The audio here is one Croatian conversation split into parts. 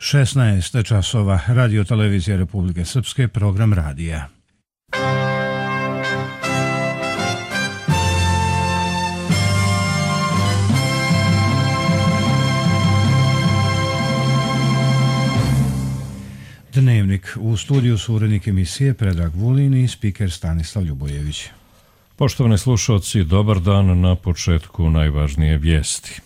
16 časova, Radio Televizija Republike Srpske, program radija. Dnevnik. U studiju su urednik emisije Predrag Vulin i spiker Stanislav Ljubojević. Poštovani slušalci, dobar dan. Na početku najvažnije vijesti.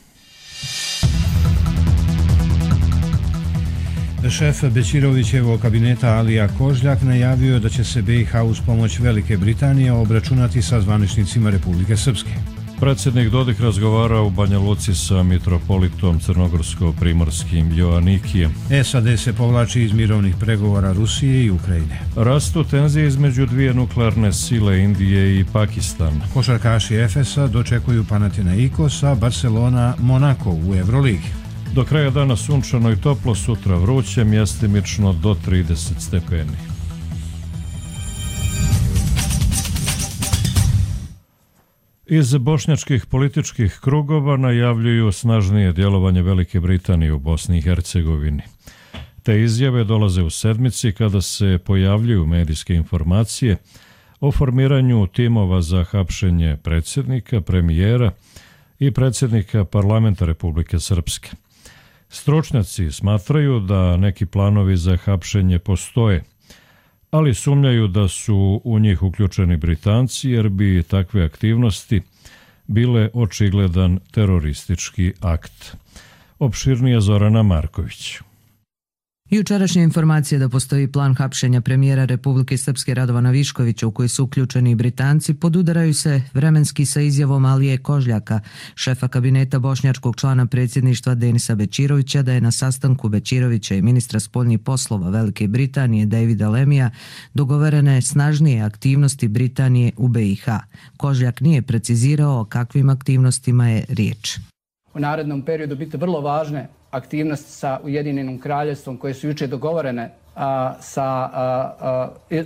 Šef Bećirovićevog kabineta Alija Kožljak najavio da će se BiH uz pomoć Velike Britanije obračunati sa zvaničnicima Republike Srpske. Predsjednik Dodik razgovara u Banja Luci sa mitropolitom crnogorsko-primorskim Joanikijem. SAD se povlači iz mirovnih pregovora Rusije i Ukrajine. Rastu tenzije između dvije nuklearne sile Indije i Pakistana. Košarkaši Efesa dočekuju Panathinaikos, a Barcelona Monako u Euroligi. Do kraja dana sunčano i toplo, sutra vruće, mjestimično do 30 stepeni. Iz bošnjačkih političkih krugova najavljuju snažnije djelovanje Velike Britanije u Bosni i Hercegovini. Te izjave dolaze u sedmici kada se pojavljuju medijske informacije o formiranju timova za hapšenje predsjednika, premijera i predsjednika parlamenta Republike Srpske. Stručnjaci smatraju da neki planovi za hapšenje postoje, ali sumnjaju da su u njih uključeni Britanci jer bi takve aktivnosti bile očigledan teroristički akt. Opširnije Zorana Marković. Jučerašnja informacija da postoji plan hapšenja premijera Republike Srpske Radovana Viškovića u koji su uključeni i Britanci podudaraju se vremenski sa izjavom Alije Kožljaka, šefa kabineta bošnjačkog člana predsjedništva Denisa Bećirovića, da je na sastanku Bećirovića i ministra spoljnih poslova Velike Britanije Davida Lemija dogovorene snažnije aktivnosti Britanije u BiH. Kožljak nije precizirao o kakvim aktivnostima je riječ. U narednom periodu biti vrlo važne aktivnosti sa Ujedinjenim kraljevstvom koje su jučer dogovorene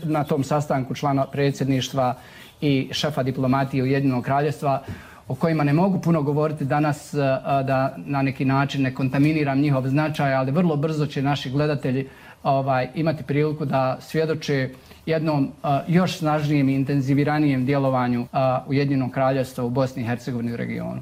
na tom sastanku člana predsjedništva i šefa diplomatije Ujedinjenog kraljevstva, o kojima ne mogu puno govoriti danas da na neki način ne kontaminiram njihov značaj, ali vrlo brzo će naši gledatelji imati priliku da svjedoče jednom još snažnijem i intenziviranijem djelovanju Ujedinjenog kraljevstva u Bosni i Hercegovini u regionu.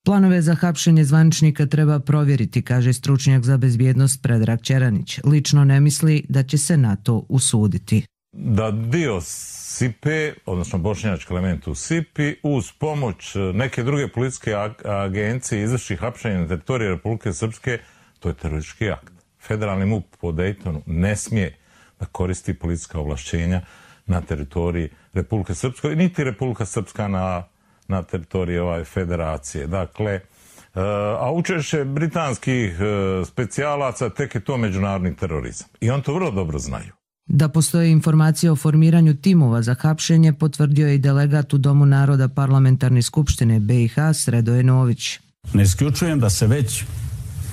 Planove za hapšenje zvaničnika treba provjeriti, kaže stručnjak za bezbjednost Predrag Čeranić. Lično ne misli da će se na to usuditi. Da dio SIPE, odnosno bošnjački element u SIPI, uz pomoć neke druge policijske agencije izvrši hapšenje na teritoriji Republike Srpske, to je teroristički akt. Federalni MUP po Daytonu ne smije da koristi policijska ovlašćenja na teritoriji Republike Srpske, niti Republika Srpska na teritoriji federacije. Dakle, a učešće britanskih specijalaca tek je to međunarodni terorizam. I on to vrlo dobro znaju. Da postoje informacije o formiranju timova za hapšenje potvrdio je i delegat u Domu naroda Parlamentarne skupštine BiH Sredoje Nović. Ne isključujem da se već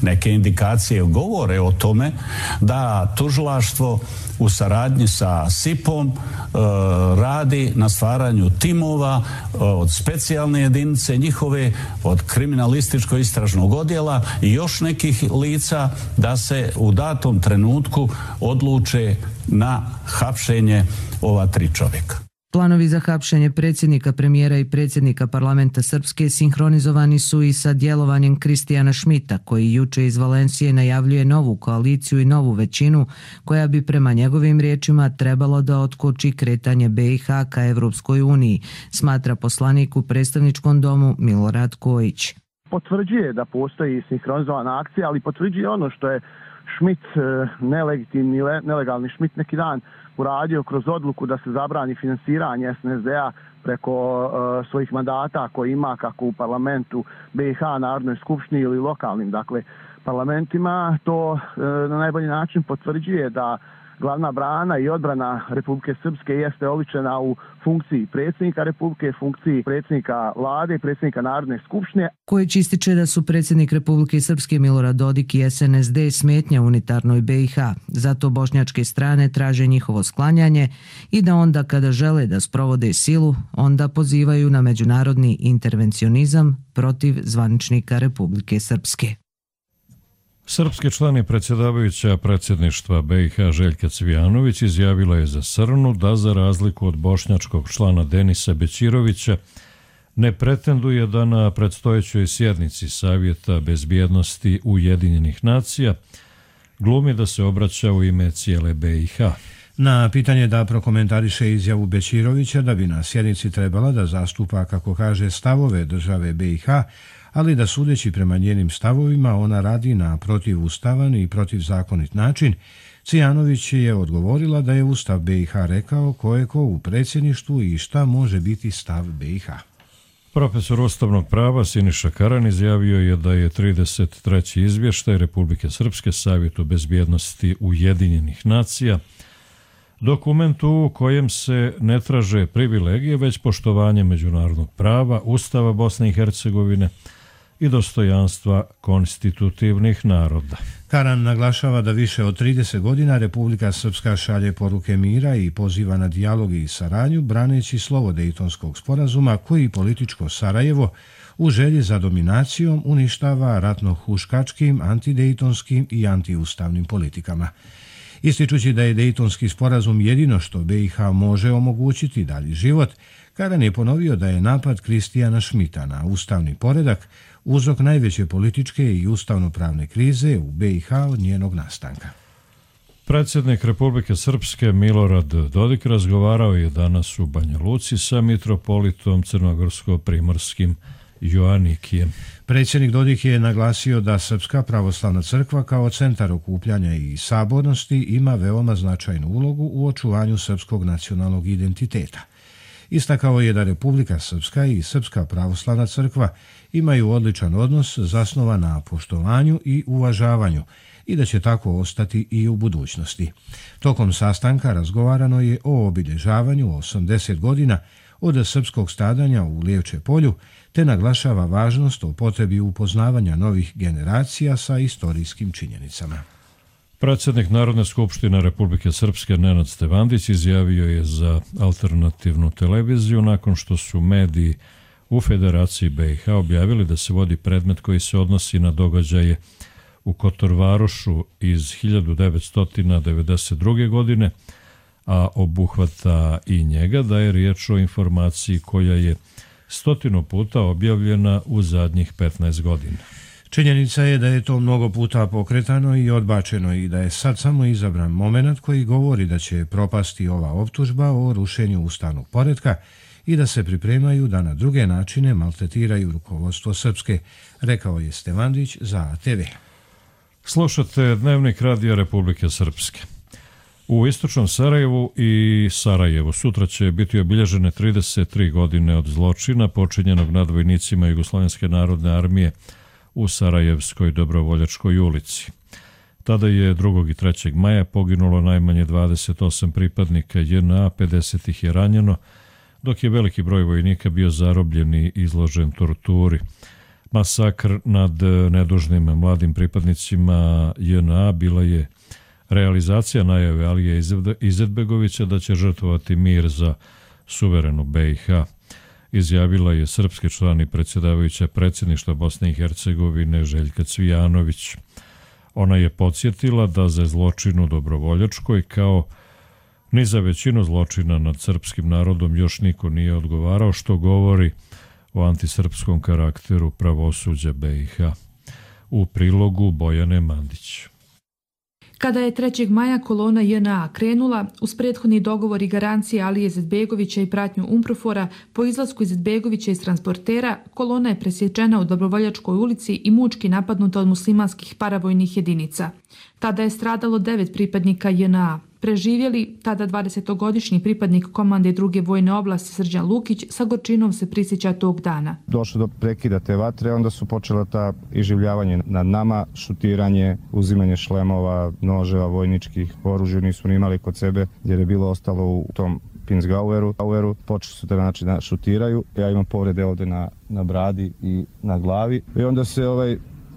neke indikacije govore o tome da tužilaštvo u saradnji sa SIP-om radi na stvaranju timova od specijalne jedinice njihove, od kriminalističkog istražnog odjela i još nekih lica da se u datom trenutku odluče na hapšenje ova 3 čovjeka. Planovi za hapšenje predsjednika, premijera i predsjednika parlamenta Srpske sinhronizovani su i sa djelovanjem Kristijana Šmita, koji juče iz Valencije najavljuje novu koaliciju i novu većinu koja bi prema njegovim riječima trebalo da otkoči kretanje BiH ka Evropskoj uniji, smatra poslanik u predstavničkom domu Milorad Kojić. Potvrđuje da postoji sinhronizovana akcija, ali potvrđuje ono što je Šmit, nelegitimni, nelegalni Šmit neki dan uradio kroz odluku da se zabrani finansiranje SNSD-a preko svojih mandata koji ima kako u parlamentu BiH, Narodnoj skupštini ili lokalnim parlamentima. To na najbolji način potvrđuje da glavna brana i odbrana Republike Srpske jeste oličena u funkciji predsjednika Republike, funkciji predsjednika vlade i predsjednika Narodne skupštine. Kojić ističe da su predsjednik Republike Srpske Milorad Dodik i SNSD smetnja unitarnoj BiH. Zato bošnjačke strane traže njihovo sklanjanje i da onda kada žele da sprovode silu, onda pozivaju na međunarodni intervencionizam protiv zvaničnika Republike Srpske. Srpski član i predsjedavajuća predsjedništva BiH Željka Cvijanović izjavila je za Srnu da za razliku od bošnjačkog člana Denisa Bećirovića ne pretenduje da na predstojećoj sjednici Savjeta bezbjednosti Ujedinjenih nacija glumi da se obraća u ime cijele BiH. Na pitanje da prokomentariše izjavu Bećirovića da bi na sjednici trebala da zastupa, kako kaže, stavove države BiH, ali da sudeći prema njenim stavovima ona radi na protivustavan i protivzakonit način, Cvijanović je odgovorila da je Ustav BiH rekao ko je ko u predsjedništvu i šta može biti stav BiH. Profesor ustavnog prava Siniša Karan izjavio je da je 33. izvještaj Republike Srpske Savjetu bezbjednosti Ujedinjenih nacija dokument u kojem se ne traže privilegije, već poštovanje međunarodnog prava, Ustava Bosne i Hercegovine i dostojanstva konstitutivnih naroda. Karan naglašava da više od 30 godina Republika Srpska šalje poruke mira i poziva na dijalog i saradnju, braneći slovo Dejtonskog sporazuma koji političko Sarajevo u želji za dominacijom uništava ratno-huškačkim, antidejtonskim i antiustavnim politikama. Ističući da je Dejtonski sporazum jedino što BiH može omogućiti dalji život, Karan je ponovio da je napad Kristijana Šmita na ustavni poredak uzrok najveće političke i ustavno-pravne krize u BiH od njenog nastanka. Predsjednik Republike Srpske Milorad Dodik razgovarao je danas u Banja Luci sa mitropolitom crnogorsko-primorskim Joanikijem. Predsjednik Dodik je naglasio da Srpska pravoslavna crkva kao centar okupljanja i sabornosti ima veoma značajnu ulogu u očuvanju srpskog nacionalnog identiteta. Istakao je da Republika Srpska i Srpska pravoslavna crkva imaju odličan odnos zasnovan na poštovanju i uvažavanju i da će tako ostati i u budućnosti. Tokom sastanka razgovarano je o obilježavanju 80 godina od srpskog stradanja u Lijevče polju, te naglašava važnost o potrebi upoznavanja novih generacija sa istorijskim činjenicama. Predsjednik Narodne skupštine Republike Srpske Nenad Stevandić izjavio je za alternativnu televiziju nakon što su mediji u Federaciji BiH objavili da se vodi predmet koji se odnosi na događaje u Kotorvarošu iz 1992. godine, a obuhvata i njega, da je riječ o informaciji koja je 100 puta objavljena u zadnjih 15 godina. Činjenica je da je to mnogo puta pokretano i odbačeno i da je sad samo izabran moment koji govori da će propasti ova optužba o rušenju ustavnog poretka i da se pripremaju da na druge načine maltretiraju rukovodstvo Srpske, rekao je Stevandić za ATV. Slušate Dnevnik Radija Republike Srpske. U istočnom Sarajevu i Sarajevu sutra će biti obilježene 33 godine od zločina počinjenog nad vojnicima Jugoslovenske narodne armije u Sarajevskoj Dobrovoljačkoj ulici. Tada je 2. i 3. maja poginulo najmanje 28 pripadnika JNA, 50 ih je ranjeno, dok je veliki broj vojnika bio zarobljen i izložen torturi. Masakr nad nedužnim mladim pripadnicima JNA bila je realizacija najave Alije Izetbegovića da će žrtvovati mir za suverenu BiH. Izjavila je srpski član i predsjedavajuća predsjedništva Bosne i Hercegovine Željka Cvijanović. Ona je podsjetila da za zločin u Dobrovoljačkoj kao ni za većinu zločina nad srpskim narodom još niko nije odgovarao, što govori o antisrpskom karakteru pravosuđa BiH. U prilogu Bojane Mandić. Kada je 3. maja kolona JNA krenula, uz prethodni dogovor i garancije Alije Izetbegovića i pratnju UNPROFOR-a, po izlasku Izetbegovića iz transportera, kolona je presječena u Dobrovoljačkoj ulici i mučki napadnuta od muslimanskih paravojnih jedinica. Tada je stradalo 9 pripadnika JNA. Preživjeli, tada 20-godišnji pripadnik komande 2. vojne oblasti Srđan Lukić sa gorčinom se prisjeća tog dana. Došlo do prekida te vatre, onda su počela ta iživljavanje nad nama, šutiranje, uzimanje šlemova, noževa, vojničkih, oružja nismo imali kod sebe jer je bilo ostalo u tom Pinsgaueru. Počeli su da šutiraju, ja imam povrede ovde na bradi i na glavi i onda se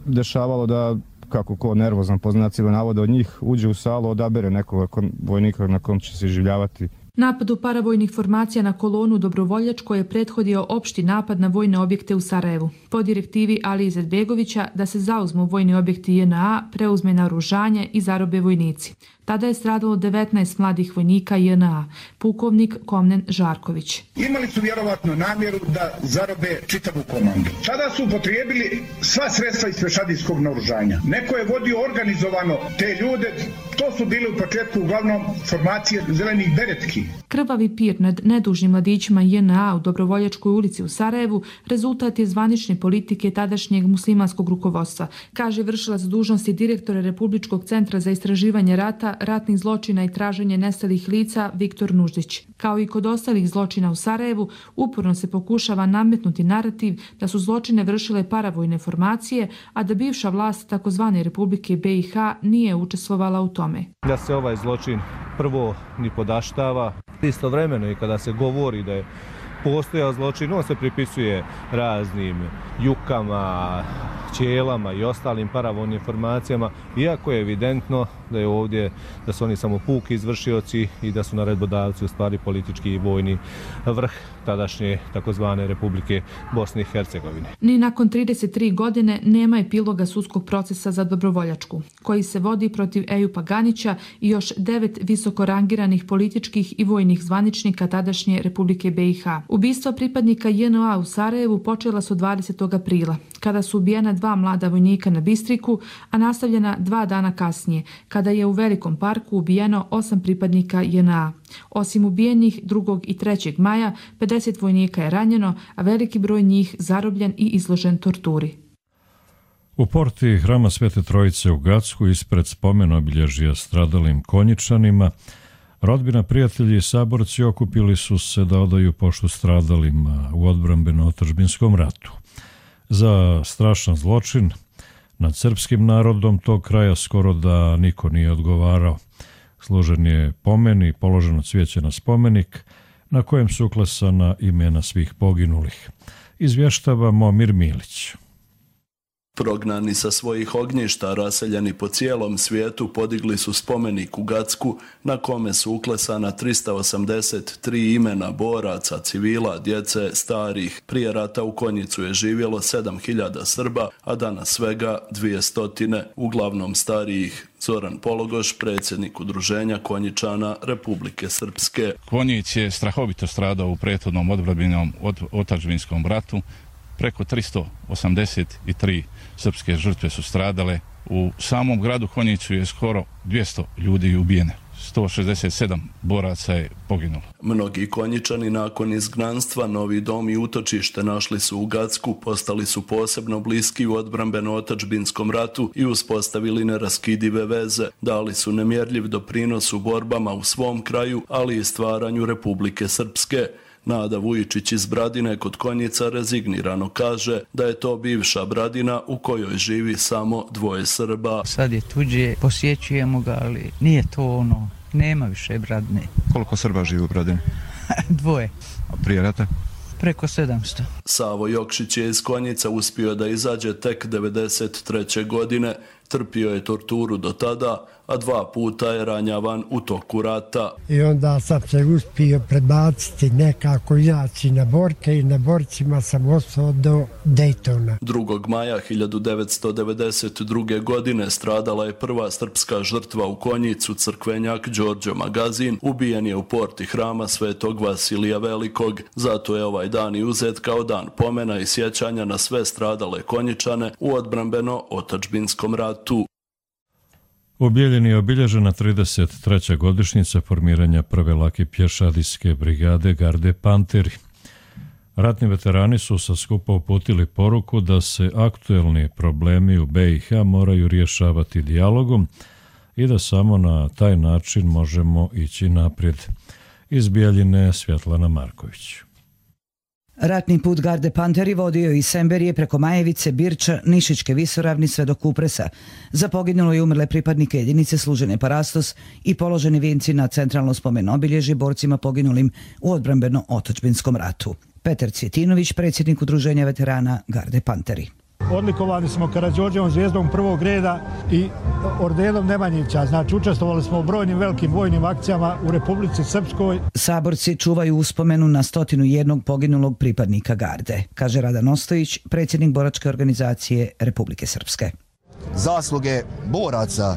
dešavalo da kako ko nervozan po znacima navoda od njih uđe u salu, odabere nekog vojnika na kom će se iživljavati. Napadu paravojnih formacija na kolonu Dobrovoljačko je prethodio opšti napad na vojne objekte u Sarajevu. Po direktivi Alije Izetbegovića da se zauzmu vojni objekti JNA, preuzme naoružanje i zarobe vojnici. Tada je stradalo 19 mladih vojnika JNA, pukovnik Komnen Žarković. Imali su vjerovatno namjeru da zarobe čitavu komandu. Tada su upotrijebili sva sredstva iz pešadijskog naoružanja. Neko je vodio organizovano te ljude, to su bili u početku uglavnom formacije zelenih beretki. Krvavi pir nad nedužnim mladićima JNA u Dobrovoljačkoj ulici u Sarajevu rezultat je zvanične politike tadašnjeg muslimanskog rukovodstva, kaže vršilac dužnosti direktora Republičkog centra za istraživanje rata, ratnih zločina i traženje nestalih lica Viktor Nuždić. Kao i kod ostalih zločina u Sarajevu, uporno se pokušava nametnuti narativ da su zločine vršile paravojne formacije, a da bivša vlast takozvane Republike BiH nije učestvovala u tome. Da se ovaj zločin prvo ni podaštava, istovremeno i kada se govori da je postojao zločin, on se pripisuje raznim jukama, ćelama i ostalim paravojnim formacijama, iako je evidentno da je ovdje, da su oni samo puki izvršioci i da su naredbodavci u stvari politički i vojni vrh tadašnje takozvane Republike Bosne i Hercegovine. Ni nakon 33 godine nema epiloga sudskog procesa za Dobrovoljačku, koji se vodi protiv Ejupa Ganića i još 9 visoko rangiranih političkih i vojnih zvaničnika tadašnje Republike BiH. Ubistva pripadnika JNA u Sarajevu počela su 20. aprila, kada su ubijena 2 mlada vojnika na Bistriku, a nastavljena 2 dana kasnije, kada je u Velikom parku ubijeno 8 pripadnika JNA. Osim ubijenih 2. i 3. maja, 50 vojnika je ranjeno, a veliki broj njih zarobljen i izložen torturi. U porti Hrama Svete Trojice u Gacku ispred spomen obilježja stradalim Konjičanima rodbina, prijatelji i saborci okupili su se da odaju poštu stradalima u odbrambeno-otadžbinskom ratu. Za strašan zločin nad srpskim narodom tog kraja skoro da niko nije odgovarao. Složen je pomen i položeno cvijeće na spomenik na kojem su uklesana imena svih poginulih. Izvještava Momir Milić. Prognani sa svojih ognjišta, raseljeni po cijelom svijetu, podigli su spomenik u Gacku na kome su uklesana 383 imena boraca, civila, djece, starih. Prije rata u Konjicu je živjelo 7000 Srba, a danas svega 200, uglavnom starijih. Zoran Pologoš, predsjednik Udruženja Konjičana Republike Srpske. Konjic je strahovito stradao u prethodnom odbrambenom otadžbinskom ratu. Preko 383 srpske žrtve su stradale. U samom gradu Konjicu je skoro 200 ljudi ubijene. 167 boraca je poginulo. Mnogi Konjičani nakon izgnanstva novi dom i utočište našli su u Gacku, postali su posebno bliski u odbrambeno-otadžbinskom ratu i uspostavili neraskidive veze. Dali su nemjerljiv doprinos u borbama u svom kraju, ali i stvaranju Republike Srpske. Nada Vujičić iz Bradine kod Konjica rezignirano kaže da je to bivša Bradina u kojoj živi samo 2 Srba. Sad je tuđe, posjećujemo ga, ali nije to ono, nema više Bradine. Koliko Srba živi u Bradini? 2. A prije rata? Preko 700. Savo Jokšić je iz Konjica uspio da izađe tek 93. godine. Trpio je torturu do tada, a 2 puta je ranjavan u toku rata. I onda sam se uspio prebaciti nekako izaći na borke i na borcima sam ostao do Dejtona. 2. maja 1992. godine stradala je prva srpska žrtva u Konjicu, crkvenjak Đorđo Magazin. Ubijen je u porti Hrama Svetog Vasilija Velikog. Zato je ovaj dan i uzet kao dan pomena i sjećanja na sve stradale Konjičane u odbrambeno-otadžbinskom ratu. U Bijeljini je obilježena 33. godišnjica formiranja prve lake pješadijske brigade Garde Panteri. Ratni veterani su sa skupa uputili poruku da se aktuelni problemi u BiH moraju rješavati dijalogom i da samo na taj način možemo ići naprijed. Iz Bijeljine Svjetlana Marković. Ratni put Garde Panteri vodio iz Semberije preko Majevice, Birča, Nišićke visoravni sve do Kupresa. Za poginulo i umrle pripadnike jedinice služene Parastos i položeni vijenci na centralno spomen obilježje borcima poginulim u odbrambeno-otadžbinskom ratu. Petar Cvjetinović, predsjednik Udruženja veterana Garde Panteri. odlikovani smo Karađorđevom zvijezdom prvog reda i ordenom Nemanjića. Znači, učestvovali smo u brojnim velikim vojnim akcijama u Republici Srpskoj. Saborci čuvaju uspomenu na 101 poginulog pripadnika garde, kaže Radan Ostojić, predsjednik boračke organizacije Republike Srpske. Zasluge boraca,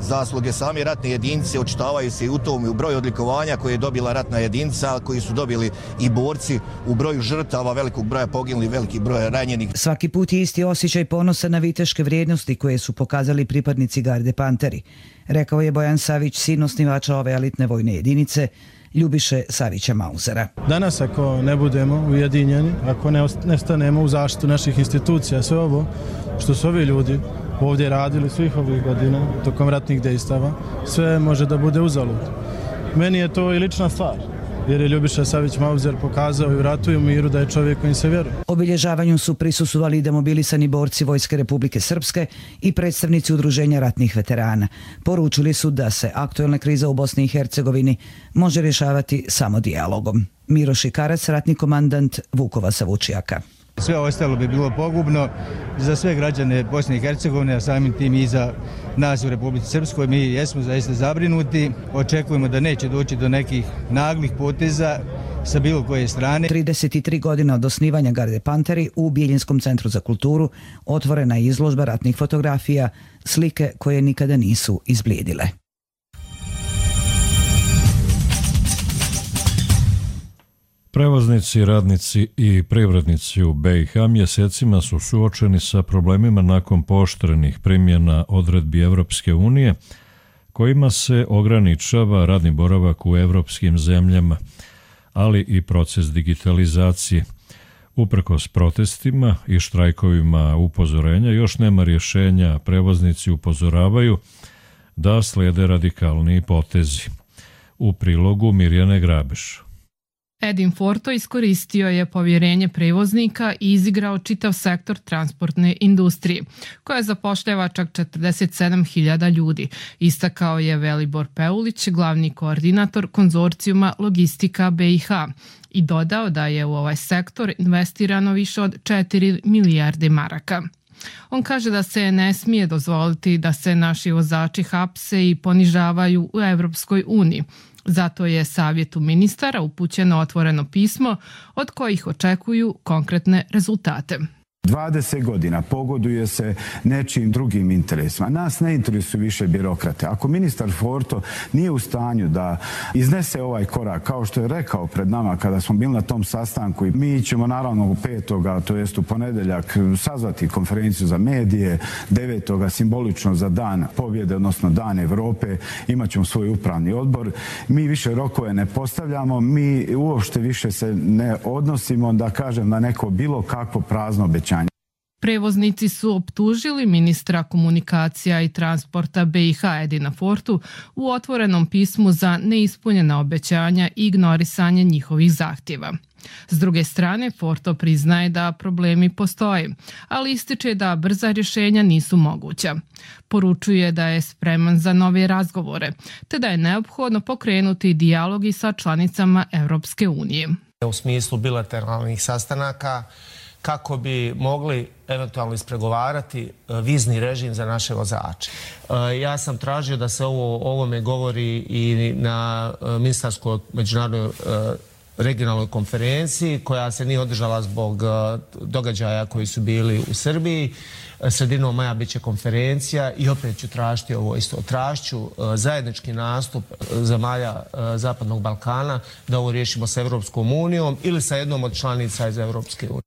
zasluge same ratne jedinice očitavaju se i u tom i u broju odlikovanja koje je dobila ratna jedinica, koji su dobili i borci, u broju žrtava, velikog broja poginulih, velikih broja ranjenih. Svaki put je isti osjećaj ponosa na viteške vrijednosti koje su pokazali pripadnici garde Panteri, rekao je Bojan Savić, sin osnivača ove elitne vojne jedinice, Ljubiše Savića Mauzera. Danas ako ne budemo ujedinjeni, ako ne stanemo u zaštitu naših institucija, sve ovo što su ovi ljudi ovdje radili svih ovih godina tokom ratnih dejstava, sve može da bude uzalud. Meni je to i lična stvar, jer je Ljubiša Savić Mauzer pokazao i u ratu i u miru da je čovjek kojim se vjeruje. Obilježavanju su prisustvovali i demobilisani borci Vojske Republike Srpske i predstavnici Udruženja ratnih veterana. Poručili su da se aktualna kriza u Bosni i Hercegovini može rješavati samo dijalogom. Miro Šikarac, ratni komandant Vukova Savučijaka. Sve ostalo bi bilo pogubno za sve građane Bosne i Hercegovine, a samim tim i za nas u Republici Srpskoj. Mi jesmo zaista zabrinuti, očekujemo da neće doći do nekih naglih poteza sa bilo koje strane. 33 godine od osnivanja garde Panteri u Biljinskom centru za kulturu otvorena je izložba ratnih fotografija, slike koje nikada nisu izblijedile. Prevoznici, radnici i privrednici u BiH mjesecima su suočeni sa problemima nakon pooštrenih primjena odredbi Evropske unije, kojima se ograničava radni boravak u evropskim zemljama, ali i proces digitalizacije. Uprkos protestima i štrajkovima upozorenja još nema rješenja, prevoznici upozoravaju da slijede radikalniji potezi. U prilogu Mirjane Grabeš. Edin Forto iskoristio je povjerenje prevoznika i izigrao čitav sektor transportne industrije, koja zapošljava čak 47.000 ljudi, istakao je Velibor Peulić, glavni koordinator konzorcijuma Logistika BiH, i dodao da je u ovaj sektor investirano više od 4 milijarde maraka. On kaže da se ne smije dozvoliti da se naši vozači hapse i ponižavaju u Evropskoj uniji. Zato je Savjetu ministara upućeno otvoreno pismo od kojih očekuju konkretne rezultate. 20 godina pogoduje se nečim drugim interesima. Nas ne interesuju više birokrate. Ako ministar Forto nije u stanju da iznese ovaj korak, kao što je rekao pred nama kada smo bili na tom sastanku, mi ćemo naravno u 5. to jest u ponedjeljak sazvati konferenciju za medije, 9. simbolično za dan pobjede, odnosno dan Evrope, imat ćemo svoj upravni odbor. Mi više rokove ne postavljamo, mi uopšte više se ne odnosimo, da kažem, na neko bilo kakvo prazno obećanje. Prevoznici su optužili ministra komunikacija i transporta BiH Edina Fortu u otvorenom pismu za neispunjena obećanja i ignorisanje njihovih zahtjeva. S druge strane, Forto priznaje da problemi postoje, ali ističe da brza rješenja nisu moguća. Poručuje da je spreman za nove razgovore, te da je neophodno pokrenuti dijalog i sa članicama Evropske unije. U smislu bilateralnih sastanaka, kako bi mogli eventualno ispregovarati vizni režim za naše vozače. Ja sam tražio da se ovome govori i na ministarskoj međunarodnoj regionalnoj konferenciji koja se nije održala zbog događaja koji su bili u Srbiji. Sredinom maja bit će konferencija i opet ću tražiti ovo isto. Tražću zajednički nastup zemalja Zapadnog Balkana da ovo riješimo sa Evropskom unijom ili sa jednom od članica iz Evropske unije.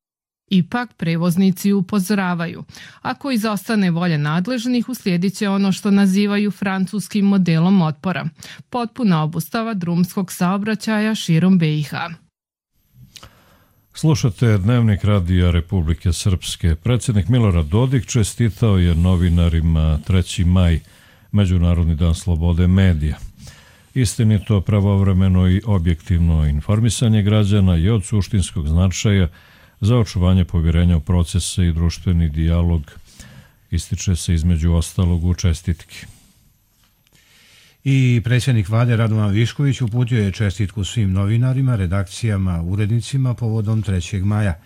Ipak prevoznici upozoravaju. Ako izostane volja nadležnih, uslijedit će ono što nazivaju francuskim modelom otpora. Potpuna obustava drumskog saobraćaja širom BiH. Slušate Dnevnik Radija Republike Srpske. Predsjednik Milorad Dodik čestitao je novinarima 3. maj, Međunarodni dan slobode medija. Istinito, pravovremeno i objektivno informisanje građana je od suštinskog značaja za očuvanje povjerenja u procese i društveni dijalog, ističe se između ostalog u čestitki. I predsjednik vlade Radovan Višković uputio je čestitku svim novinarima, redakcijama, urednicima povodom 3. maja.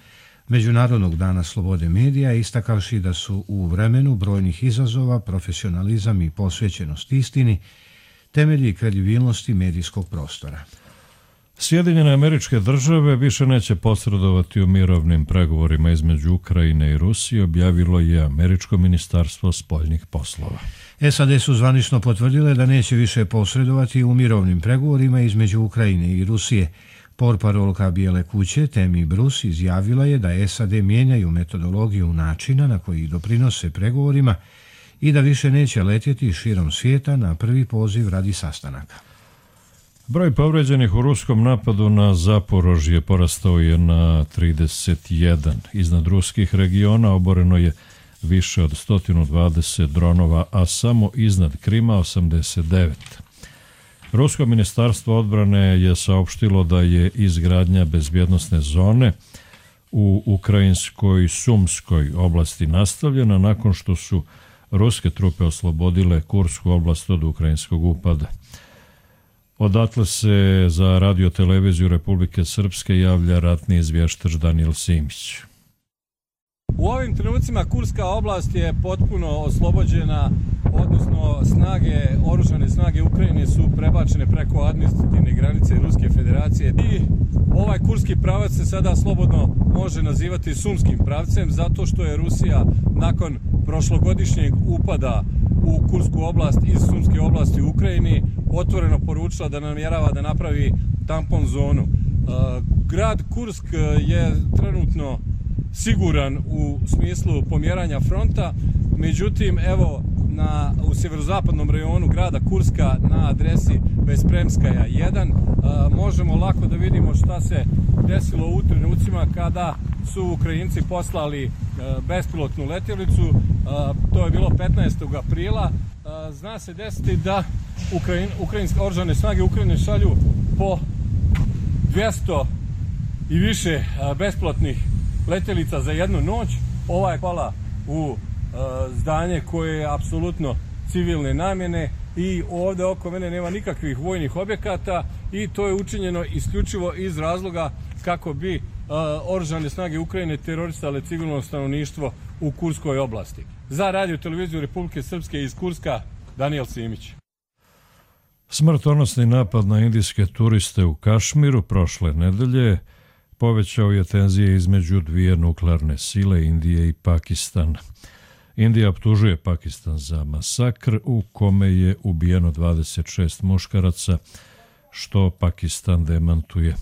Međunarodnog dana slobode medija, istakavši da su u vremenu brojnih izazova profesionalizam i posvećenost istini temelji kredibilnosti medijskog prostora. Sjedinjene Američke Države više neće posredovati u mirovnim pregovorima između Ukrajine i Rusije, objavilo je Američko ministarstvo spoljnih poslova. SAD su zvanično potvrdile da neće više posredovati u mirovnim pregovorima između Ukrajine i Rusije. Portparolka Bijele kuće Tammy Bruce izjavila je da SAD mijenjaju metodologiju načina na koji doprinose pregovorima i da više neće letjeti širom svijeta na prvi poziv radi sastanaka. Broj povređenih u ruskom napadu na Zaporožje porastao je na 31. Iznad ruskih regiona oboreno je više od 120 dronova, a samo iznad Krima 89. Rusko ministarstvo odbrane je saopštilo da je izgradnja bezbjednosne zone u ukrajinskoj Sumskoj oblasti nastavljena nakon što su ruske trupe oslobodile Kursku oblast od ukrajinskog upada. Odatle se za radio-televiziju Republike Srpske javlja ratni izvještač Daniel Simić. U ovim trenucima Kurska oblast je potpuno oslobođena, odnosno oružane snage Ukrajine su prebačene preko administrativne granice Ruske federacije i ovaj kurski pravac se sada slobodno može nazivati Sumskim pravcem zato što je Rusija nakon prošlogodišnjeg upada u Kursku oblast iz Sumske oblasti u Ukrajini otvoreno poručila da namjerava da napravi tampon zonu. Grad Kursk je trenutno siguran u smislu pomjeranja fronta, međutim evo u sjeverozapadnom rajonu grada Kurska na adresi Bespremskaja 1 možemo lako da vidimo šta se desilo u trenucima kada su Ukrajinci poslali bespilotnu letjelicu. To je bilo 15. aprila. Zna se desiti da ukrajinske oružane snage Ukrajine šalju po 200 i više bespilotnih letjelica za jednu noć. Ova je pala u zdanje koje je apsolutno civilne namjene i ovdje oko mene nema nikakvih vojnih objekata i to je učinjeno isključivo iz razloga kako bi oružane snage Ukrajine terorisale civilno stanovništvo u Kurskoj oblasti. Za radio-televiziju Republike Srpske iz Kurska, Daniel Simić. Smrtonosni napad na indijske turiste u Kašmiru prošle nedelje povećao je tenzije između dvije nuklearne sile, Indije i Pakistana. Indija optužuje Pakistan za masakr u kome je ubijeno 26 muškaraca, što Pakistan demantuje.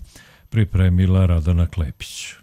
Pripremila Radana Klepić.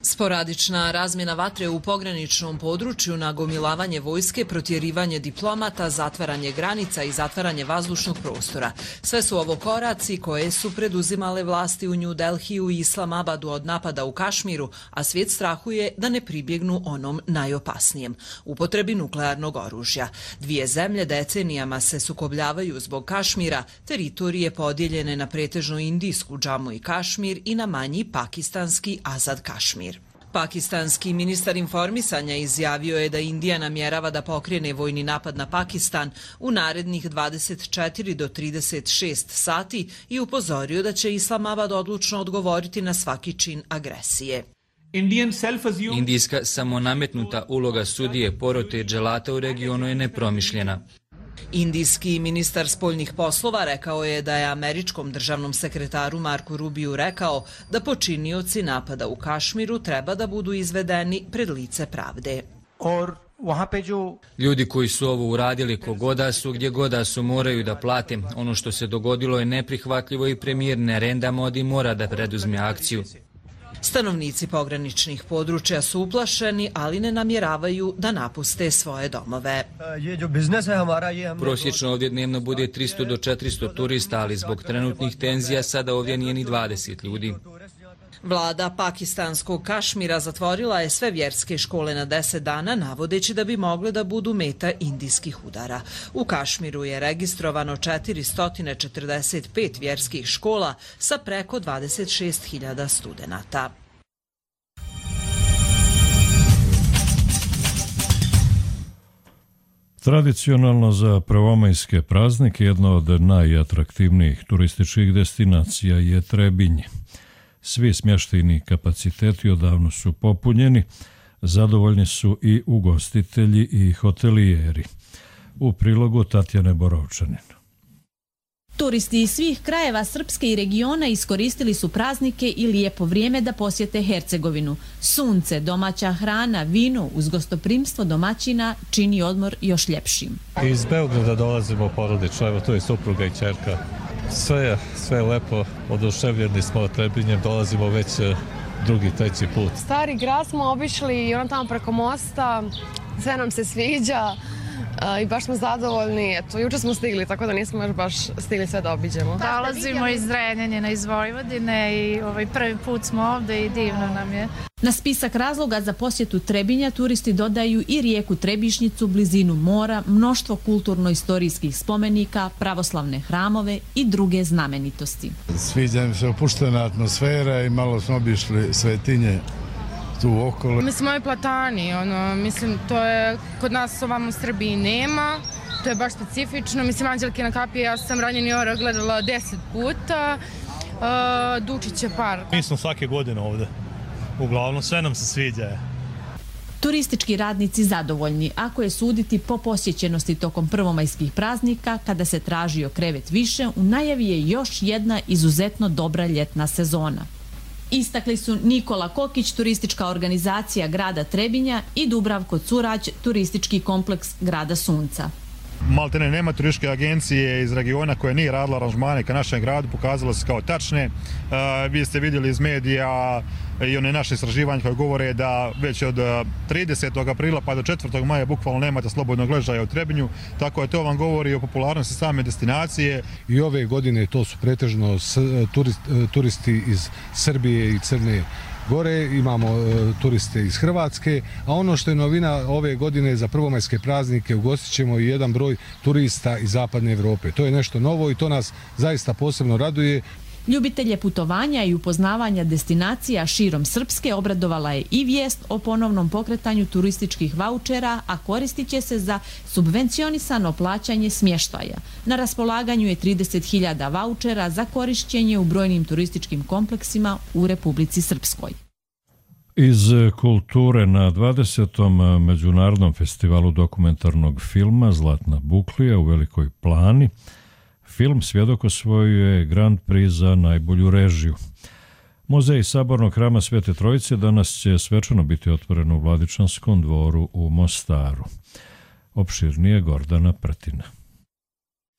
Sporadična razmjena vatre u pograničnom području, nagomilavanje vojske, protjerivanje diplomata, zatvaranje granica i zatvaranje vazdušnog prostora. Sve su ovo koraci koje su preduzimale vlasti u New Delhiju i Islamabadu od napada u Kašmiru, a svijet strahuje da ne pribjegnu onom najopasnijem, upotrebi nuklearnog oružja. Dvije zemlje decenijama se sukobljavaju zbog Kašmira, teritorije podijeljene na pretežno indijsku Džamu i Kašmir i na manji pakistanski Azad Kašmir. Pakistanski ministar informisanja izjavio je da Indija namjerava da pokrene vojni napad na Pakistan u narednih 24 do 36 sati i upozorio da će Islamabad odlučno odgovoriti na svaki čin agresije. Indijska samonametnuta uloga sudije porote dželata u regionu je nepromišljena. Indijski ministar spoljnih poslova rekao je da je američkom državnom sekretaru Marku Rubiju rekao da počinioci napada u Kašmiru treba da budu izvedeni pred lice pravde. Ljudi koji su ovo uradili kogoda su, gdje goda su, moraju da plate. Ono što se dogodilo je neprihvatljivo i premijer Narendra Modi mora da preduzme akciju. Stanovnici pograničnih područja su uplašeni, ali ne namjeravaju da napuste svoje domove. Prosječno ovdje dnevno bude 300 do 400 turista, ali zbog trenutnih tenzija sada ovdje nije ni 20 ljudi. Vlada pakistanskog Kašmira zatvorila je sve vjerske škole na 10 dana, navodeći da bi mogle da budu meta indijskih udara. U Kašmiru je registrovano 445 vjerskih škola sa preko 26.000 studenata. Tradicionalno za prvomajske praznike jedna od najatraktivnijih turističkih destinacija je Trebinje. Svi smještajni kapaciteti odavno su popunjeni, zadovoljni su i ugostitelji i hotelijeri. U prilogu Tatjane Borovčanin. Turisti iz svih krajeva Srpske i regiona iskoristili su praznike i lijepo vrijeme da posjete Hercegovinu. Sunce, domaća hrana, vino uz gostoprimstvo domaćina čini odmor još ljepšim. Iz Beograda dolazimo porodično, evo tu je supruga i ćerka. Sve je lepo, oduševljeni smo Trebinjem, dolazimo već drugi, treći put. Stari grad smo obišli i tamo preko mosta, sve nam se sviđa. I baš smo zadovoljni. Eto, juče smo stigli, tako da nismo još baš stigli sve da obiđemo. Dolazimo iz Zrenjanina, iz Vojvodine i prvi put smo ovdje i divno nam je. Na spisak razloga za posjetu Trebinja turisti dodaju i rijeku Trebišnjicu, blizinu mora, mnoštvo kulturno-istorijskih spomenika, pravoslavne hramove i druge znamenitosti. Sviđa mi se opuštena atmosfera i malo smo obišli svetinje tu okolo. Mislim, ovi platani, mislim, to je kod nas ovamo u Srbiji nema, to je baš specifično. Mislim, Anđelkina kapija, ja sam Ranjeni orah gledala 10 puta, Dučić je park. Mi smo svake godine ovdje, uglavnom sve nam se sviđa. Turistički radnici zadovoljni, ako je suditi po posjećenosti tokom prvomajskih praznika, kada se tražio krevet više, u najavi je još jedna izuzetno dobra ljetna sezona. Istakli su Nikola Kokić, turistička organizacija grada Trebinja, i Dubravko Curać, turistički kompleks grada Sunca. Maltene nema turističke agencije iz regiona koja nije radila aranžmane ka našem gradu, pokazalo se kao tačne. Vi ste vidjeli iz medija i one naše istraživanje koje govore da već od 30. aprila pa do 4. maja bukvalno nemate slobodnog ležaja u Trebinju, tako da to vam govori o popularnosti same destinacije. I ove godine to su pretežno turisti iz Srbije i Crne Gore, imamo turiste iz Hrvatske, a ono što je novina ove godine za prvomajske praznike, ugostit ćemo i jedan broj turista iz Zapadne Evrope. To je nešto novo i to nas zaista posebno raduje. Ljubitelje putovanja i upoznavanja destinacija širom Srpske obradovala je i vijest o ponovnom pokretanju turističkih vaučera, a koristit će se za subvencionisano plaćanje smještaja. Na raspolaganju je 30.000 vaučera za korišćenje u brojnim turističkim kompleksima u Republici Srpskoj. Iz kulture na 20. Međunarodnom festivalu dokumentarnog filma Zlatna buklija u Velikoj Plani film Svjedok osvojuje Grand Prix za najbolju režiju. Muzej Sabornog hrama Svete Trojice danas će svečano biti otvoren u Vladičanskom dvoru u Mostaru. Opširnije Gordana Prtina.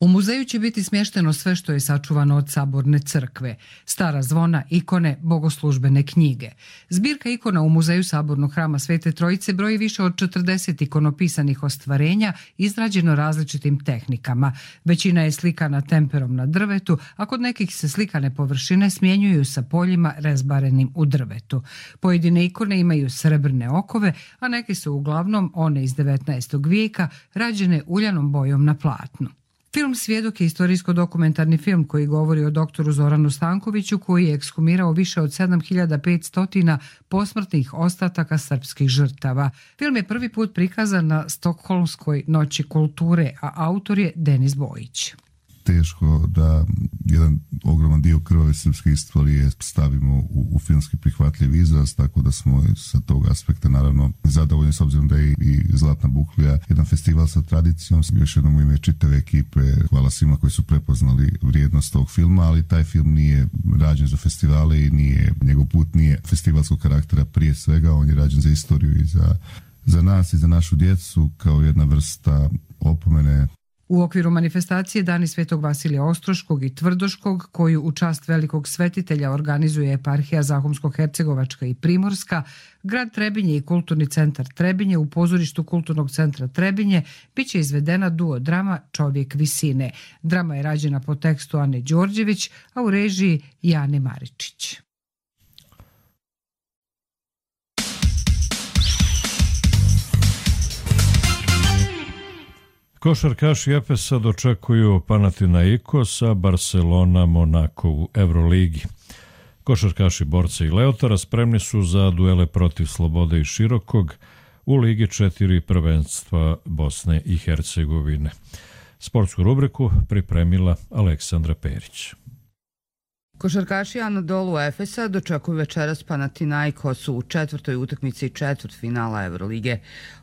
U muzeju će biti smješteno sve što je sačuvano od Saborne crkve, stara zvona, ikone, bogoslužbene knjige. Zbirka ikona u Muzeju Sabornog hrama Svete Trojice broji više od 40 ikonopisanih ostvarenja izrađeno različitim tehnikama. Većina je slikana temperom na drvetu, a kod nekih se slikane površine smjenjuju sa poljima rezbarenim u drvetu. Pojedine ikone imaju srebrne okove, a neke su uglavnom one iz 19. vijeka rađene uljanom bojom na platnu. Film Svjedok je istorijsko-dokumentarni film koji govori o doktoru Zoranu Stankoviću, koji je ekshumirao više od 7500 posmrtnih ostataka srpskih žrtava. Film je prvi put prikazan na Stokholmskoj noći kulture, a autor je Denis Bojić. Teško da jedan ogroman dio krvave srpske istorije stavimo u filmski prihvatljiv izraz, tako da smo sa tog aspekta naravno zadovoljni, s obzirom da je i Zlatna buklija jedan festival sa tradicijom. Još jednom u ime čitave ekipe hvala svima koji su prepoznali vrijednost tog filma, ali taj film nije rađen za festivale i njegov put nije festivalskog karaktera prije svega, on je rađen za istoriju i za nas i za našu djecu kao jedna vrsta opomene. U okviru manifestacije Dani Svetog Vasilija Ostroškog i Tvrdoškog, koju u čast velikog svetitelja organizuje eparhija Zahumsko-Hercegovačka i Primorska, grad Trebinje i Kulturni centar Trebinje u pozorištu Kulturnog centra Trebinje biće izvedena duo drama Čovjek visine. Drama je rađena po tekstu Ane Đorđević, a u režiji Jane Maričić. Košarkaši Efesa dočekuju Panathinaikos, a Barcelona Monako u Euroligi. Košarkaši Borca i Leotara spremni su za duele protiv Slobode i Širokog u Ligi 4 prvenstva Bosne i Hercegovine. Sportsku rubriku pripremila Aleksandra Perić. Košarkaši Anadolu Efesa dočekuju večeras Panathinaikos u četvrtoj utakmici četvrtfinala Evrolige.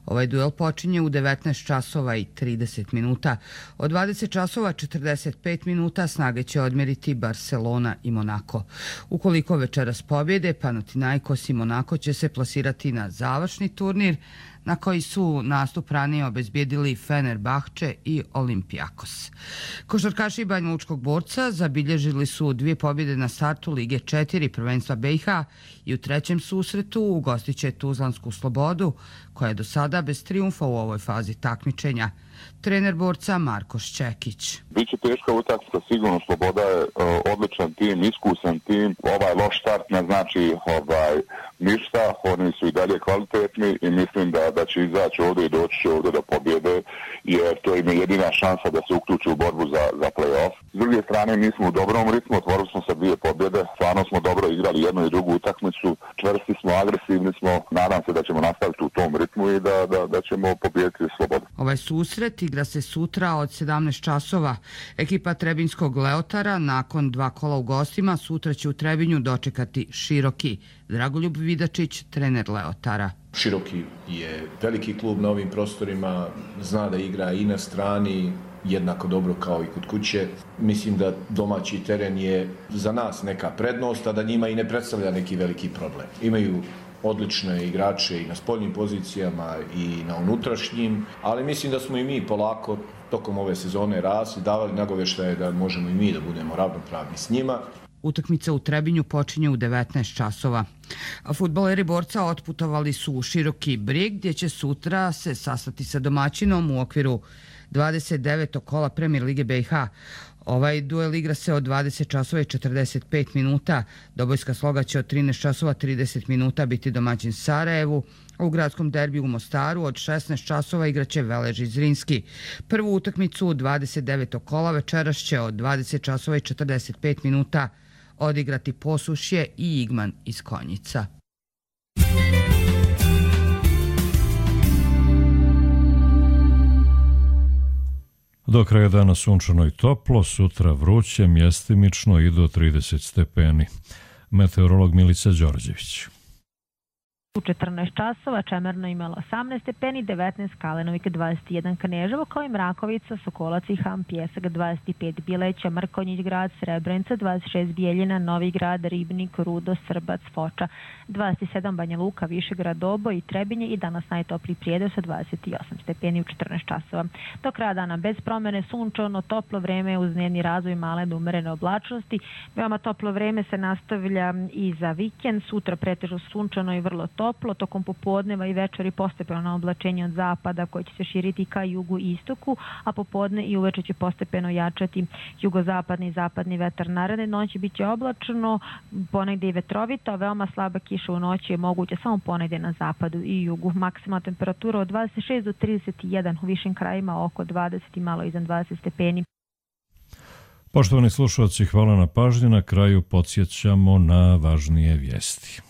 Ovaj duel počinje u 19 časova i 30 minuta. Od 20 časova 45 minuta snage će odmjeriti Barcelona i Monako. Ukoliko večeras pobjede, Panathinaikos i Monako će se plasirati na završni turnir na koji su nastup ranije obezbijedili Fenerbahče i Olimpijakos. Košarkaši Banja Lučkog Borca zabilježili su 2 pobjede na startu Lige 4 prvenstva BiH i u trećem susretu ugostit će Tuzlansku Slobodu, koja je do sada bez trijumfa u ovoj fazi takmičenja. Trener Borca Marko Šćekić. Biće teška utakmica, sigurno. Sloboda je odličan tim, iskusan tim. Ovaj loš start ne znači ništa, oni su i dalje kvalitetni i mislim da će izaći ovdje i doći će ovdje do pobjede, jer to im je jedina šansa da se uključi u borbu za play-off. S druge strane, mi smo u dobrom ritmu, otvorili smo sa 2 pobjede, stvarno smo dobro igrali jednu i drugu utakmicu, čvrsti smo, agresivni smo, nadam se da ćemo nastaviti u tom ritmu i da ćemo pobijediti Slobodu. Ovaj susret igra se sutra od 17 časova. Ekipa Trebinskog Leotara nakon 2 kola u gostima sutra će u Trebinju dočekati Široki. Dragoljub Vidačić, trener Leotara. Široki je veliki klub na ovim prostorima, zna da igra i na strani jednako dobro kao i kod kuće. Mislim da domaći teren je za nas neka prednost, a da njima i ne predstavlja neki veliki problem. Imaju odlične igrače i na spoljnim pozicijama i na unutrašnjim, ali mislim da smo i mi polako tokom ove sezone rasli, davali nagovještaje da možemo i mi da budemo ravnopravni s njima. Utakmica u Trebinju počinje u 19 časova. A fudbaleri Borca otputovali su u Široki Brijeg, gdje će sutra se sastati sa domaćinom u okviru 29. kola Premier Lige BiH. Ovaj duel igra se od 20 časova i 45 minuta. Dobojska Sloga će od 13 časova 30 minuta biti domaćin Sarajevu. U gradskom derbiju u Mostaru od 16 časova igraće Velež iz Zrinski. Prvu utakmicu u 29. kola večeras će od 20 časova i 45 minuta odigrati Posušje i Igman iz Konjica. Do kraja dana sunčano i toplo, sutra vruće, mjestimično i do 30 stepeni. Meteorolog Milica Đorđević. U 14 časova Čemerno imalo 18 stepeni, 19 Kalenovik, 21 Kneževo, kao i Mrakovica, Sokolac i Ham, Pjesak, 25 Bileća, Mrkonjić grad, Srebrenica, 26 Bijeljina, Novi grad, Ribnik, Rudo, Srbac, Foča, 27 Banja Luka, Višegrad, Dobo i Trebinje i danas najtopliji Prijedor sa 28 stepeni u 14 časova. Do kraja dana bez promjene, sunčano, toplo vreme uz dnevni razvoj male do umerene oblačnosti. Veoma toplo vreme se nastavlja i za vikend, sutra pretežno sunčano i vrlo toplo, tokom popodneva i večeri postepeno oblačenje od zapada koje će se širiti ka jugu i istoku, a popodne i uveče će postepeno jačati jugozapadni i zapadni vetar. Naredne noći bit će oblačno, ponegdje i vetrovito, veoma slaba kiša u noći je moguća samo ponegdje na zapadu i jugu. Maksimalna temperatura od 26 do 31, u višim krajima oko 20 i malo iznad 20 stepeni. Poštovani slušalci, hvala na pažnji. Na kraju podsjećamo na važnije vijesti.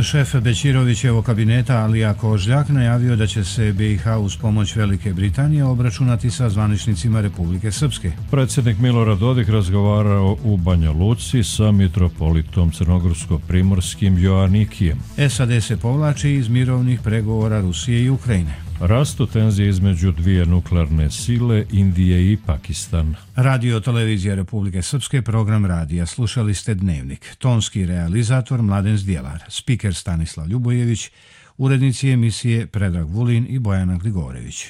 Šef Bećirovićevog kabineta Alija Kožljak najavio da će se BiH uz pomoć Velike Britanije obračunati sa zvaničnicima Republike Srpske. Predsjednik Milorad Dodik razgovarao u Banja Luci sa mitropolitom crnogorsko-primorskim Joanikijem. SAD se povlači iz mirovnih pregovora Rusije i Ukrajine. Rastu tenzije između dvije nuklearne sile, Indije i Pakistan. Radio Televizija Republike Srpske, program radija. Slušali ste Dnevnik. Tonski realizator Mladen Zdjelar, spiker Stanislav Ljubojević, urednici emisije Predrag Vulin i Bojana Grigorević.